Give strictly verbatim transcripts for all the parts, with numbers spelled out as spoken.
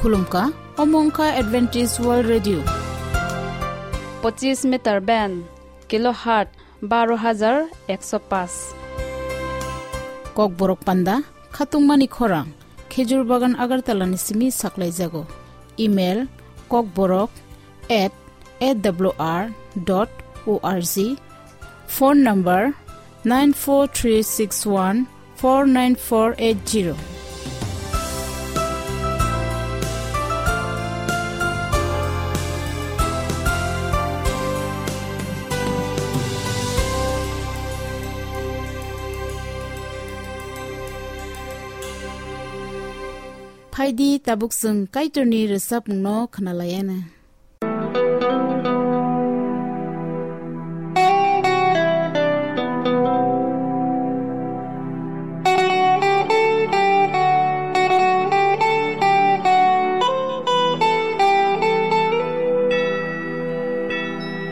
Khulumkha, omo wngkha Adventist World Radio. Pochis meter band, kilohertz baro hajar ekso paanch. Kokborok panda, khatungmani khorang, Khejur Bagan Agartala ni simi saklaijago. Email, kokborok at A W R dot O R G. Phone number, nine four three six one four nine four eight zero. Phaidi, tabuk chwng Kaitorni rwchapmungno khwnalaiana.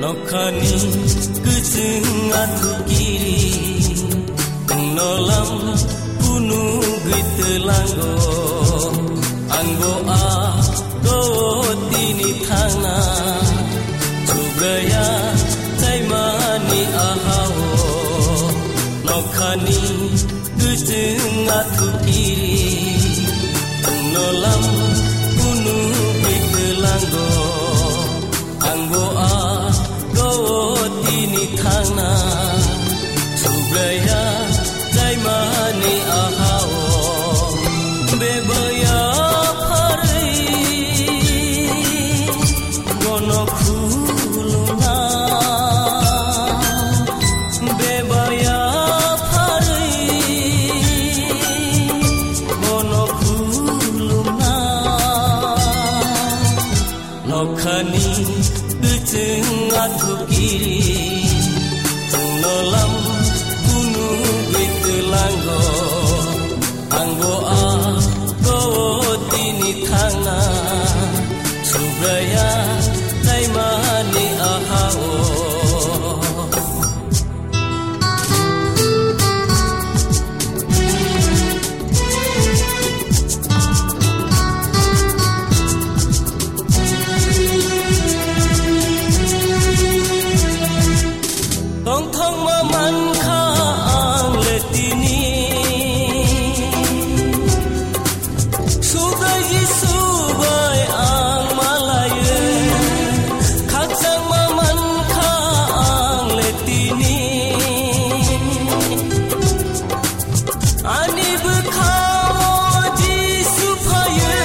Nokhani kwchwng athukiring, nolam kunu gwi twlango. Angbo a do tini thangna, Subraya chaimani ahao. Nokhani kwchwng athukiring, nolam kunu gwi twlango. Angbo a do tini thangna, Subraya chaimani ahao. Bebaya pharwi bono khulumna, bebaya pharwi bono khulumna. Nokhani kwchwng athukiring, nolam kunu gwi twlango. Angbo a do tini thangna, Subraya chaimani ahao. Tongthokma mankha ang le tini. Subrai Jisu bai ang malaiwi, khakchangma mankha ang le tini. Ani bwkhao Jisu phaiwi,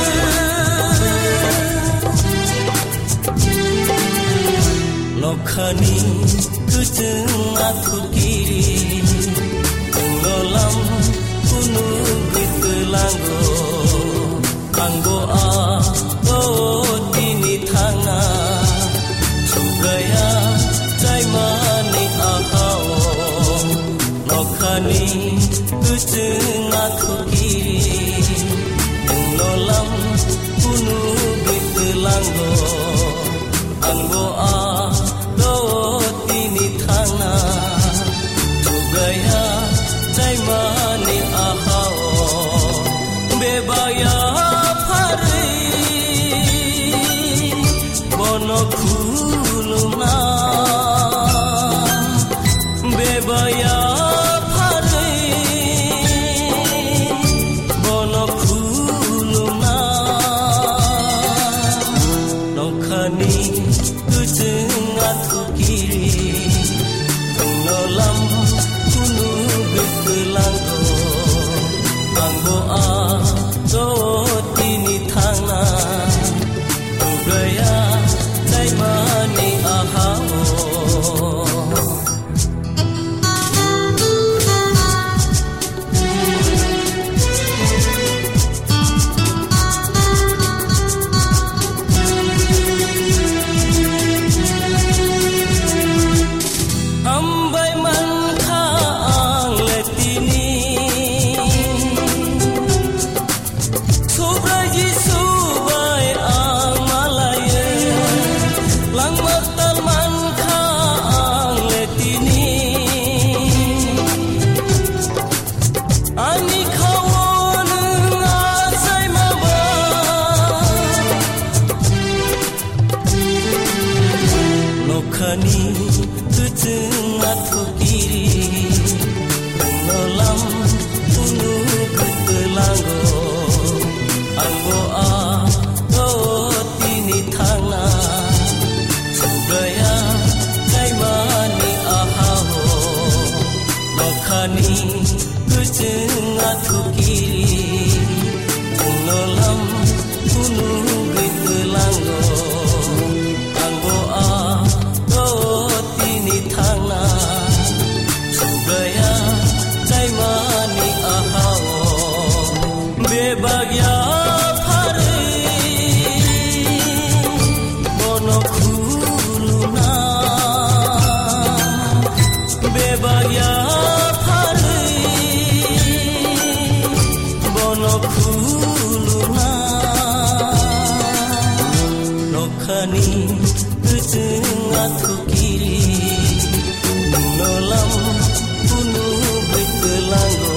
nokhani kwchwng athukiring, nolam kunu gwi twlango. Angbo a do tini thangna, Subraya chaimani ahao. Nokhani kwchwng athukiring, nolam kunu gwi twlango. Angbo a do tini thangna, Subraya chaimani ahao. Bebaya pharwi bono khulumna, bebaya pharwi bono khulumna. Nokhani kwchwng athukiring, nolam kunu gwi twlango. Angbo a do tini thangna, Subraya chaimani ahao. Hambai mankha ang le tini. Subrai Jisu bai Ani kuchung athu kiri, nolam unu kutulango, angbo a o tini thangna, subaya kaimani ahao, nokhani kuchung athu kiri, nolam unu kutulango. Angbo a o tini thangna, subaya chaimani ahao. Bebak ya pharwi, bono khulumna. Bebak ya pharwi, bono khulumna. Nokhani kuchung athu kiri, nolam unu bwtwlango.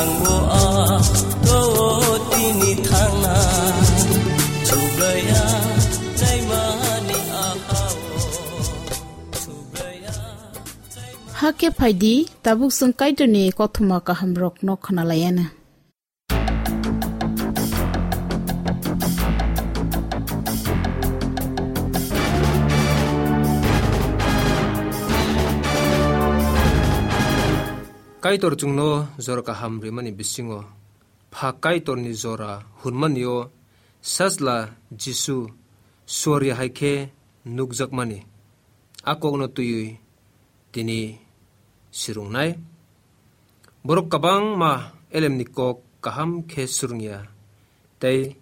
Angbo a o tini thangna, subaya chaimani ahao. Subaya chaimani. Hakhe phaidi, tabuk chwng Kaitorni kothoma kahamrokno khwnalayana. Kaitor chwngno jora kaham rimani bisingo, pha Kaitorni jora hwnmani-o Sajla Jisu suari hai khe nukjakmani. A kokno twiwi tini swrwngnai. Borok kwbangma elemni kok kaham khe swrwngya tei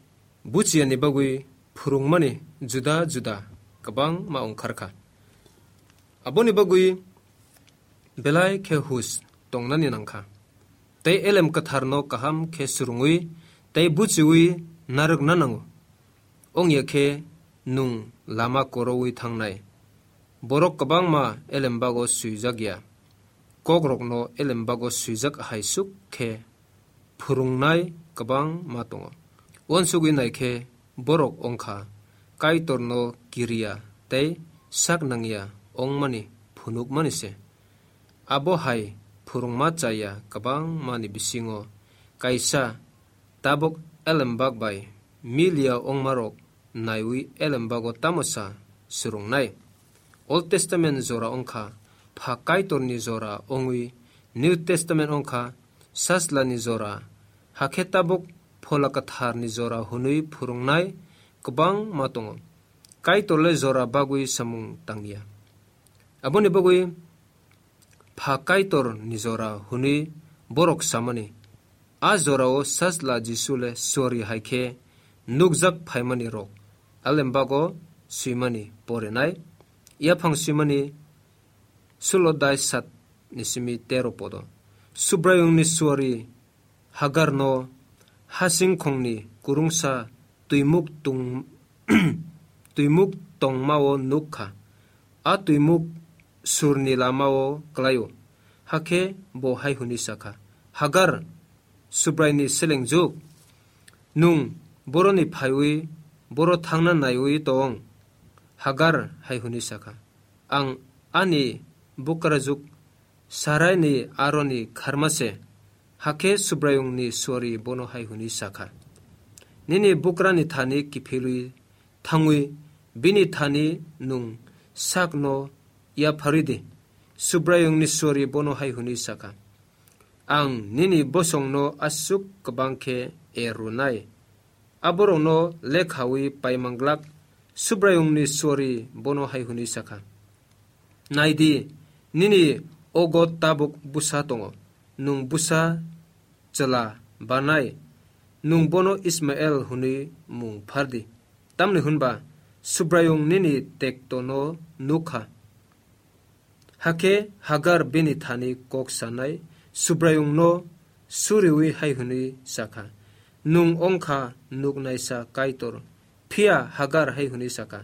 buchiyani bagwi phwrwngmani juda juda kwbangma wng kha. Aboni bagwi belai khe hus tongnani nang kha. Tei elem kwtharno kaham khe swrwngwi tei buchiwi narwkna nango. Wngya khe nwng lama korowi thangnai. Borok kwbangma elembago swijak ya. Kokrokno elembago swijak hai suk khe phwrwngnai kwbangma tongo. Uansugwi nai khe borok wng kha Kaitorno kiriya tei sak nangya wngmani phunukmani se. Abo hai phwrwngma chaya kwbangmani bisingo kaisa tabuk elembak bai miliya wngmarok naiwi elembago tamo sa swrwngnai. Old Testament jora wng kha pha Kaitorni jora wngwi New Testament wng kha Sajlani jora, hakhe tabuk Phola Kwtharni jora hwnwi phwrwngnai kwbangma tongo. Kaitor le jora bagwi samung tangya. Aboni bagwi pha Kaitorni jora hwnwi borok samani. A jorao Sajla Jisu le suari hai khe nukjak phaimani rok. Alembago swimani porinai. Yaphang swimani sulo dai sat ni simi tero podo. Subraiyungni suari Hagarno hasingkhongni kurungsa twimuk tung-, twimuk tongmao nuk kha. A twimuk surni lamao klaio. Hakhe bo hai hwnwi sa kha, "Hagar, Subraiyungni selengjuk, nwng boroni phaiwi boro thangna naiwi tong?" Hagar hai hwnwi sa kha, "Ang ani bukrajwk Saraini aroni kharma se." Hakhe Subraiyungni suari bono hai hwnwi sa kha, "Nini bukrani thani kiphilwi thangwi bini thani nwng sakno yapharwi di." Subraiyungni suari bono hai hwnwi sa kha, "Ang nini bosongno aswk kwbang khe er rwnai, aborokno lekhawi paimanglak." Subraiyungni suari bono hai hwnwi sa kha, "Nai di, nini ogo tabuk bwsa tongo, nwng bwsa chwla banai, nwng bono Ismael hwnwi mung phar di. Tamni hwn ba Subraiyung nini tektono nuk kha." Hakhe Hagar bini thani kok sanai Subraiyungno suriui hai hwnwi sa kha, "Nwng wng kha nuknaisa Kaitor." Phiya Hagar hai hwnwi sa kha,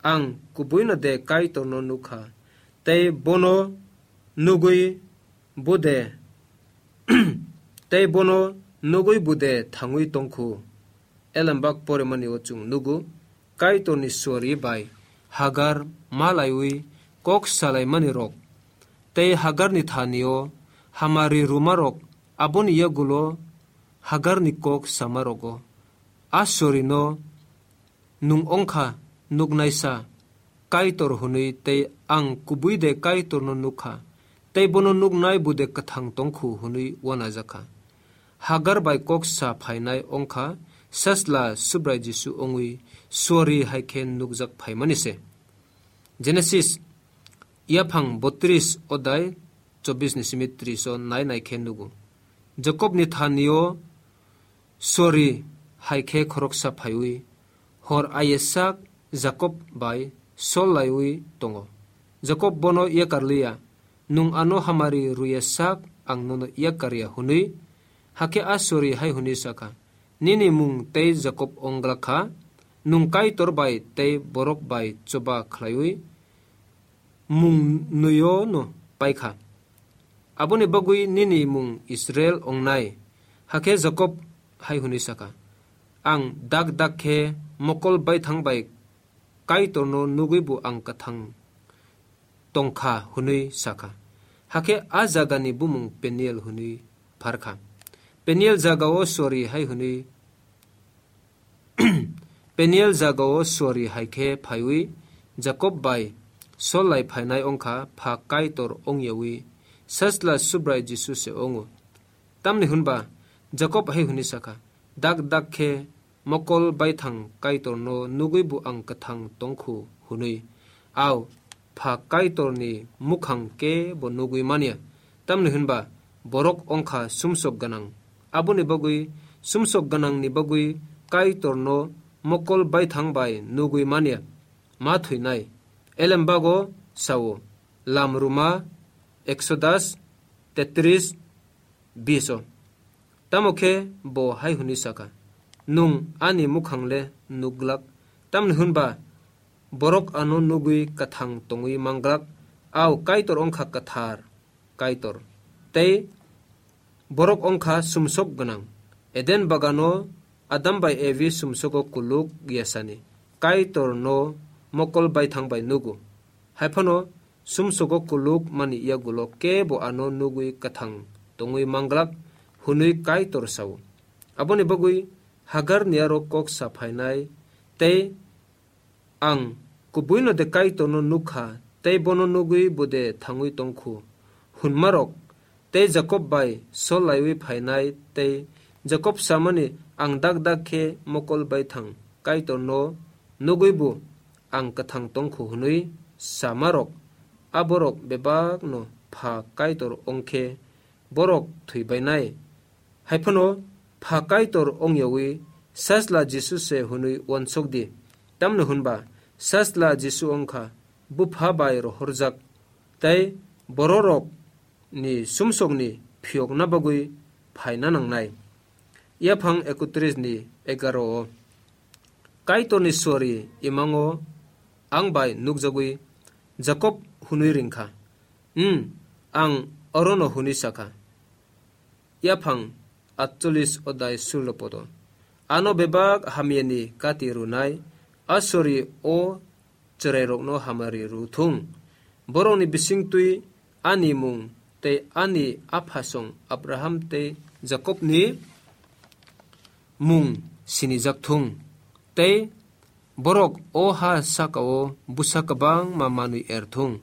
"Ang kubuino de Kaitorno nuk kha, tei bono nugwi bo de, tei bono nugwi bo de thangwi tong khu?" Elembak porimani o chwng nugo, Kaitorni suari bai Hagar malaiwi kok salaimani rok tei Hagarni thanio hamari rumarok, aboni yagulo Hagarni kok samarogo, "A sorino nwng ongkha nuknaisa Kaitor hwnwi, tei ang kubui de Kaitorno nukha, tei bono nuknai bude kwthang tongkhu," hwnwi uanajakha. Hagar bai kok sa phainai ongkha Sajla Subrai Jisu ongwi suari hai khe nukjak phaimani se. Genesis yaphang botris odai chobbish ni simi tris o nai nai khe nugo. Jakobni thanio suari hai khe khoroksa phaiwi hor ayesak Jakob bai sol laiwi tongo. Jakob bono yakar liya, "Nwng ano hamari rwya sak ang nono yakar ya," hwnwi. Hakhe a suari hai hwnwi sakha, "Nini mung tei Jakob ongglak kha, nwng Kaitor bai tei borok bai choba khlaiwi mung nwi-o no paikha. Aboni bagwi nini mung Israel ongnai." Hakhe Jakob hai hwnwi sakha, "Ang dak dak khe mokol baithang bai Kaitorno nugwi bo ang kwthang tongkha," hwnwi sakha. Hakhe a jagani bumung Peniel hwnwi pharkha. Peniel jagao suari hai hwnwi Peniel jagao suari hai khe phaiwi Jakob bai sol lai phainai ongkha, pha Kaitor ongyawi Sajla Subrai Jisu se ongo. Tamni hwnba Jakob hai hwnwi sakha, "Dak dak khe mokol baithang Kaitorno nugwi bo ang kwthang tongkhu," hwnwi. Ao pha Kaitorni mukhang kebo nugwi manya, tamni hwnba borok ongkha sumsok gwnang. Aboni bagwi sumsok gwnangni bagwi Kaitorno mokol baithang bai nugwi manya, ma thwinai. Elembago sao, Lam Ruma, Exodus tetris, biso. Tamo khe bo hai hwnwi sakha, "Nwng ani mukhang le nukglak, tamni hwnba borok ano nugwi kwthang tongwi manglak, ao Kaitor ongkha kwthar Kaitor, tei borok ongkha sumsok gwnang." Eden bagano Adam bai Evi sumsogo kuluk yasani Kaitorno mokol baithang bai nugo. Haiphano sumsogo kuluk mani yagulo kebo ano nugwi kwthang tongwi manglak hwnwi Kaitor sao. Aboni bagwi Hagar ni aro kok sa phainai tei "Ang kubuino de Kaitorno nukha, tei bono nugwi bo de thangwi tongkhu?" hwnmarok, tei Jakob bai sol laiwi phainai, tei Jakob samani, "Ang dak dak khe mokol baithang Kaitorno nugwi bo ang kwthang tongkhu," hwnwi samarok, aborok bebakno pha Kaitor ongkhe borok thwibainai. Haiphano pha Kaitor ongyawi Sajla Jisu se hwnwi uansuk di. Tamni hwnba Sajla Jisu wngkha Bupha bai rohorjak, tei bororok ni sumsokni phiyokna bagwi phaina nangnai. Yaphang ekotris ni egaro o Kaitorni suari imango ang bai nukjagwi Jakob hwnwi ringkha. Hmm, ang orono hwnwi sakha. Yaphang atchollis odai sullo podo. Ano bebak hamyani kati rwnai, asori o chwrairokno hamari rw thung. Borokni bisingtwi ani mung tei ani aphasong Abraham tei Jakobni mung sinijak thung. Tei borok o ha sakao bwsa kwbangma manwi er thung.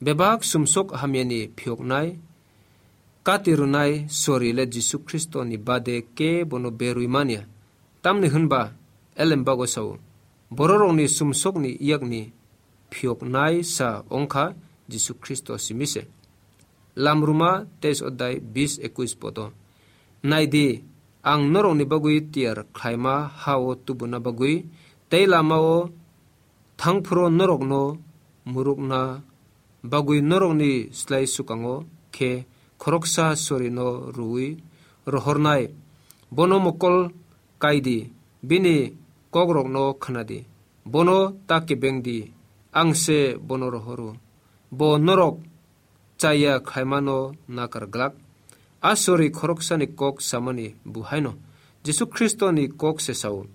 Bebak sumsok hamyani phiyoknai, kati rwnai sori le Jisu Khristoni bade kebono berwi manya. Tamni hwnba Elembago sao, bororokni sumsokni yakni phiyoknai sa wngkha Jisu Khristo simi se. Lamruma teis odai bis ekuis podo. Nai di, ang norokni bagwi tiyar khlaima ha-o tubuna bagwi, tei lama-o thangphuru norokno murukna bagwi norokni slai swkango khe khoroksa sorino rwui rohornai. Bono mokol kai di, bini kokrokno khna di. Bono ta kebeng di, ang se bono rohoro. Bo norok chaya khlaimano nakar glak. A sori khoroksani kok samani buhaino Jisu Khristoni kok se sao.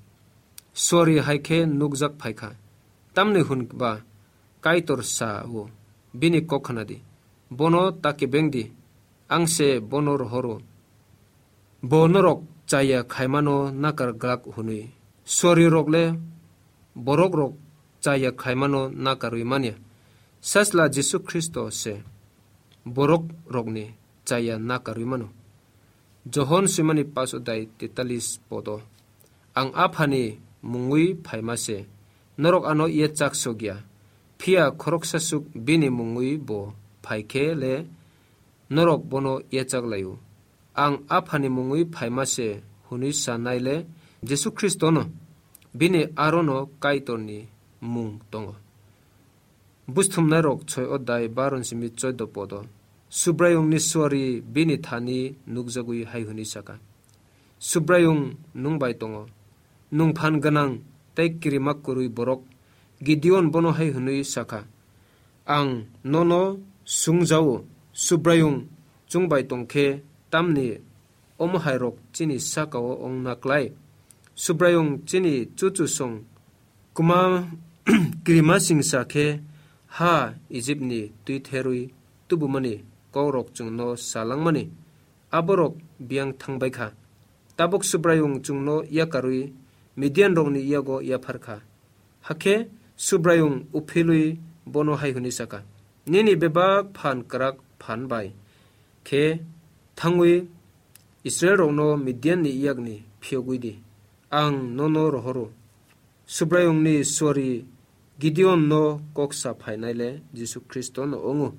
Sori hai khe nukjak phai kha. Tamni hwn ba Kaitor sa-o, bini kok khna di, bono ta kebeng di, ang se bono rohoro. Bo norok chaya khaimano nakar glak hwnwi. Suarirok le borokrok chaya khaimano nakarwi manya. Sajla Jisu Khristo se borokrokni chaya nakarwi mano. Johon swimani paso dai tetalis podo. Ang Aphani mungwi phaima se, norok ano yachak sokya. Phiya khoroksa suk bini mungwi bo phai khe le norok bono yachak lai-o. Ang Aphani mungwi phaima se hwnwi sanai le Jisu Khristono, bini arono Kaitorni mung tongo. Busthumnairok soi odai baron simi choido podo. Subraiyungni suari bini thani nukjagwi hai hwnwi saka, Subraiyung nwng bai tongo, nwng phan gwnang tei kirima kwrwi borok. Gideon bono hai hwnwi sakha, ang nono sungja-o, Subraiyung chwng bai tong khe tamni omo hairok chini saka-o wng na klai? Subraiyung chini chuchusong kwma kirima singsa khe ha Ijipni twi therwi tubumani kokrok chwngno salangmani aborok biyang thangbai kha. Tabuk Subraiyung chwngno yakarwi Midianrokni yago yaphar kha. Hakhe Subraiyung uphilwi bono hai hwnwi saka, nini bebak phan kwrak phan bai khe thangwi Israilrokno Midianni yakni phiyogwi di, ang nono rohoro. Subraiyungni suari Gideonno kok sa phainai le Jisu Khristono wngo.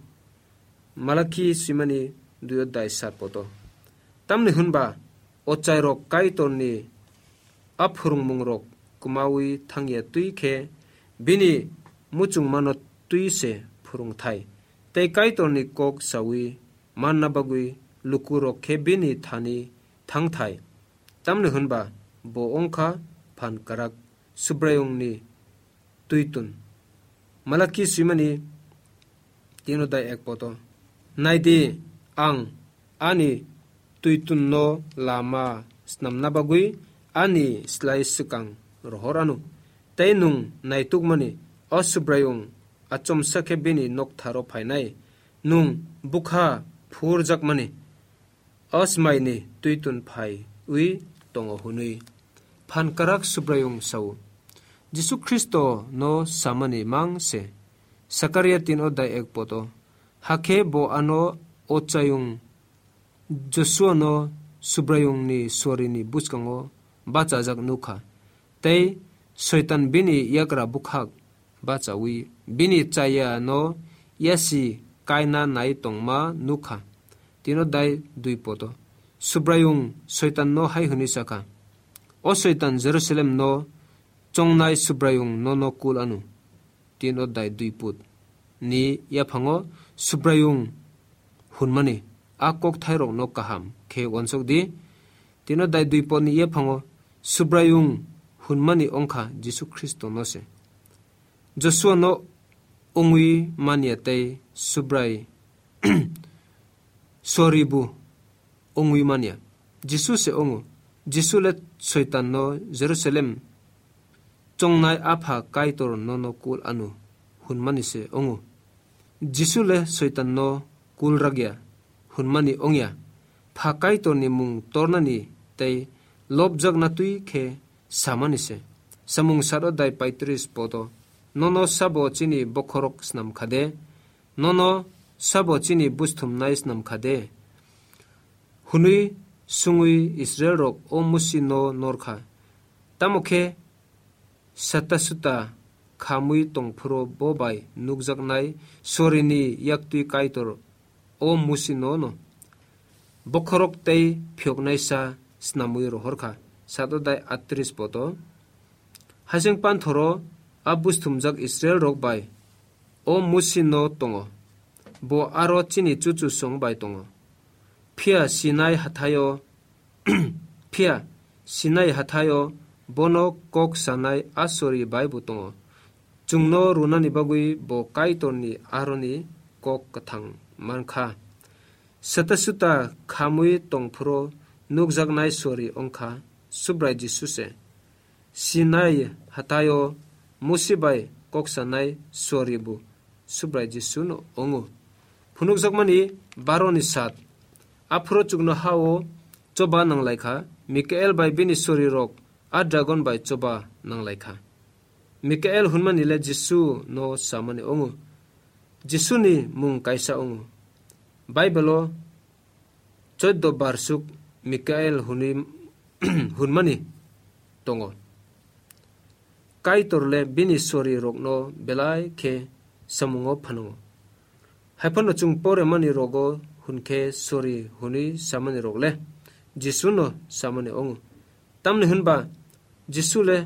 Malaki swimani dui odai sat poto. Tamni hwnba ochairok Kaitorni a phwrwngmungrok kwmawi thangya twi khe bini muchungmano twi se phwrwngthai, tei Kaitorni kok sawi manna bagwi lukurok khe bini thani thangthai. Tamni hwnba bo wngkha phan kwrak Subraiyungni twitun. Malaki swimani tino dai ek poto. Naidi, ang ani twitunno lama snamna bagwi ani slai swkang rohor anw. Tei nwng naitukmani, o Subraiyung achomsa khe bini noktharo phainai, nwng bwkha phurjakmani, o smaini twitun phaiwi tongo hwnwi. Phan kwrak Subraiyung sao. Jisu Khristo no samani mang se. Sakaria tin odai ek poto. Hakhe bo ano ochayung Josuano Subraiyungni suarini bwskango bachajak nukha, tei Soitan bini yagra bwkhak bachawi bini chayano yasi kaina nai tongma nukha. Tino dai dui poto. Subraiyung Soitanno hai hwnwi sakha, o Soitan, Jerusalemno chongnai Subraiyung nono kul anw. Tino dai dui put ni yaphango Subraiyung hwnmani a kokthairokno kaham khe uansuk di. Tino dai dui potni yaphango Subraiyung hwnmani wngkha Jisu Khristono se. Josuano wngwi manya tei Subrai soribu wngwi manya. Jisu se wngo. Jisu le Soitanno Jerusalem chongnai Apha Kaitor nono kul anw hwnmani se wngo. Jisu le Soitanno kul ragya hwnmani wngya. Pha Kaitorni mung tornani tei lobjakna twi khe samani se. Samung sat odai paitris poto. Nono sabo chini bokhorok snam kha de? Nono sabo chini busthumnai snam kha de? Hwnwi sungwi Israilrok o Musino norkha. Tamo khe sata suta khamwi tongphuru bo bai nukjaknai sorini yaktwi Kaitor o Musino no bokhorok tei phiyoknaisa snamwi rohorkha. Sat odai atris poto. Hasing panthoro a busthumjak Israilrok bai o Musino tongo. Bo aro chini chuchusong bai tongo. Phiya Sinai hathaio, phiya Sinai hathaio bono kok sanai a sori bai bo tongo. Chwngno runani bagwi bo Kaitorni aroni kok kwthang mankha. Sata suta khamwi tongphuru nukjaknai sori wngkha Subrai Jisu se. Sinai hathaio Musi bai kok sanai sori bo Subrai Jisu no ongo. Phunukjakmani baro ni sat. Aphuru chuknoha o choba nanglaikha, Mikael bai bini sori rok a dragon bai choba nanglaikha. Mikael hunmani le Jisu no samani ongo. Jisu ni mung kaisa ongo. Bible o choddo bar suk Mikael hwnwi hunmani tongo. Kaitor le bini sori rokno belai khe samungo phanango. Haiphano chwng poremani rogo hwn khe sori hwnwi samani rok le Jisu no samani ongo. Tamni hwnba Jisu le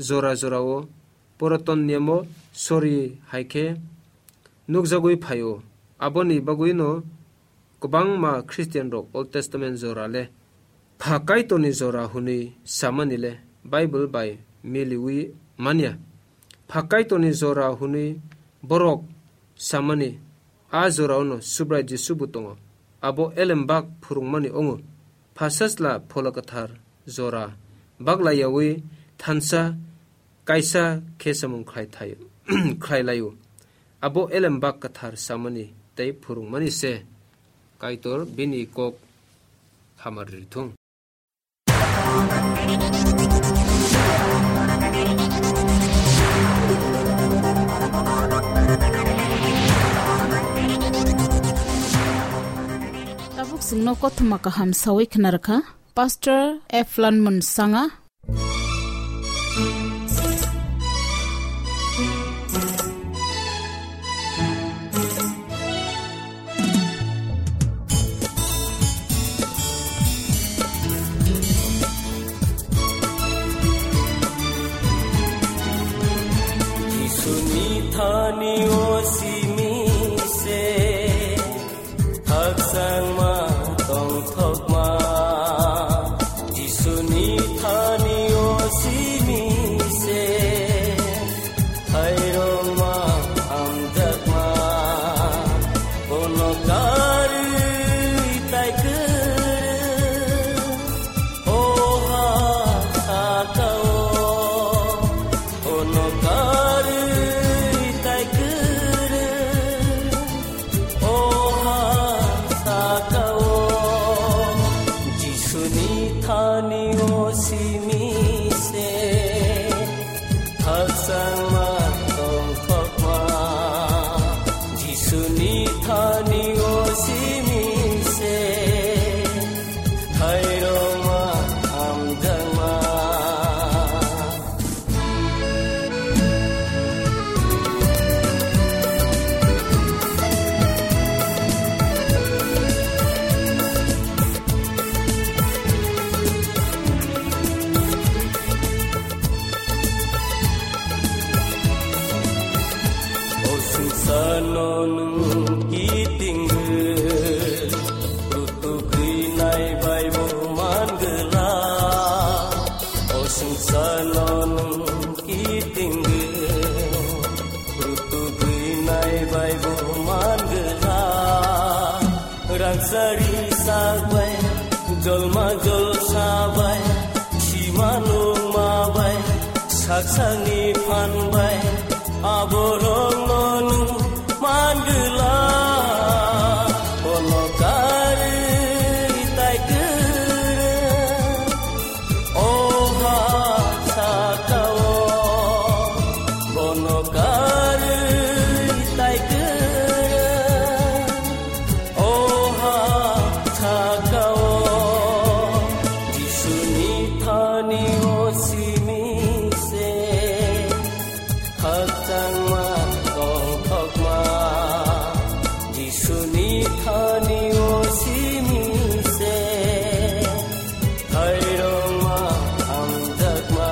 jora jorao Puraton Niyamo sori hai khe nukjagwi phaio. Aboni bagwino kwbangma Christian rok Old Testament jora le pha Kaitorni jora hwnwi samani le Bible bai miliwi manya. Pha Kaitorni jora hwnwi borok samani a jorao no Subrai Jisu bo tongo. Abo elembak phwrwngmani ongo. Pha Sajla Phola Kwthar jora baglaiyawi thansa kaisa khe samung khlai thaio, khlai laio. Abo elembak kwthar samani tei phwrwngmani se Kaitor bini kok hamar rithung. Tabuk chwngno kothoma kaham sawi khna rwkha Pastor F Lanmon Sanga. Jisuni thani o simi se. Khakchangma tongthokma Jisuni thani o simi se. Khairokma hamjakma bono karwi tai kwrwi. O ha saka o bono karwi tai kwrwi. O ha saka o Jisuni thani o simi se. Khakchangma tongthokma Jisuni thani o simi se. Khairokma hamjakma. O swngcharno nwng kiting rw, rutuk rwnai bai bo man gwla. O swngcharno nwng kiting rw, rutuk rwnai bai bo man gwla. Rangchari sak bai, jolma jolsa bai, sima nungma bai, sak sakni phan bai, aborokno nwng man gwla. Bono karwi tai kwrwi. O ha saka o bono karwi tai kwrwi. O ha saka o Jisuni thani o simi se. Khakchangma tongthokma Jisuni thani o simi se. Khairokma hamjakma.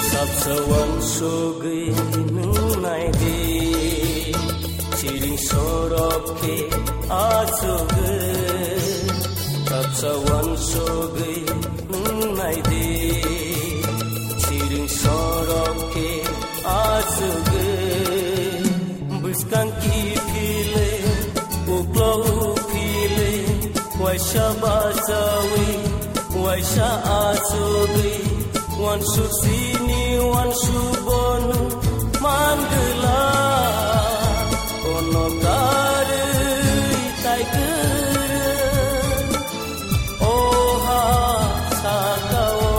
Sabsa wansugwi nwng nai di, siring sorok khe achugwi. Sawan sogwi nai di, siring sorok khe asugwi, bwskang kiphile, uklo uphile, waisa bachawi, waisa asugwi, wansuk sini, wansuk bono mangwla, kono karwi tai kwrwi. Oha sakao,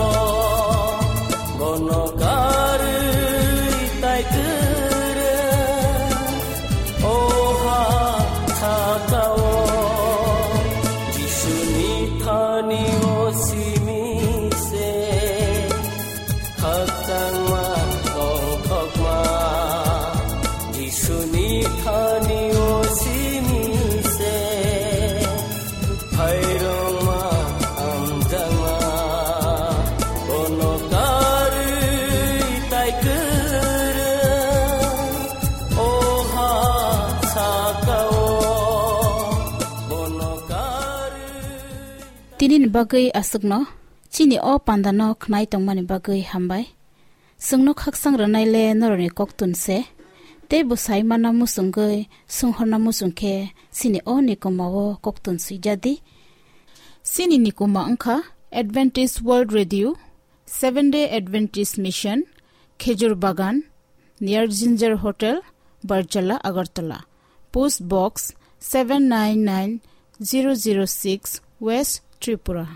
bono karwi tai kwrwi. Oha sakao, Jisuni thani o simi se. Khakchangma tongthokma, Jisuni thani o simi se. Phairokma hamjakma, bono karwi tai kwrwi. Oha sakao, bono karwi. Tinini bagwi aswkno, chini o pandano khnai tongmani bagwi hambai. Chwngno khakchang rwnaile norokni koktun se, tei bwsai mana muchungwi swnghorna muchung khe chini o nikomao koktun swijadi. Chini nikoma wngkha Adventist World Radio, Seventh Day Adventist Mission, Khejur Bagan, near Ginger Hotel, Barjala, Agartala. Post Box seven nine nine zero zero six, West Tripura.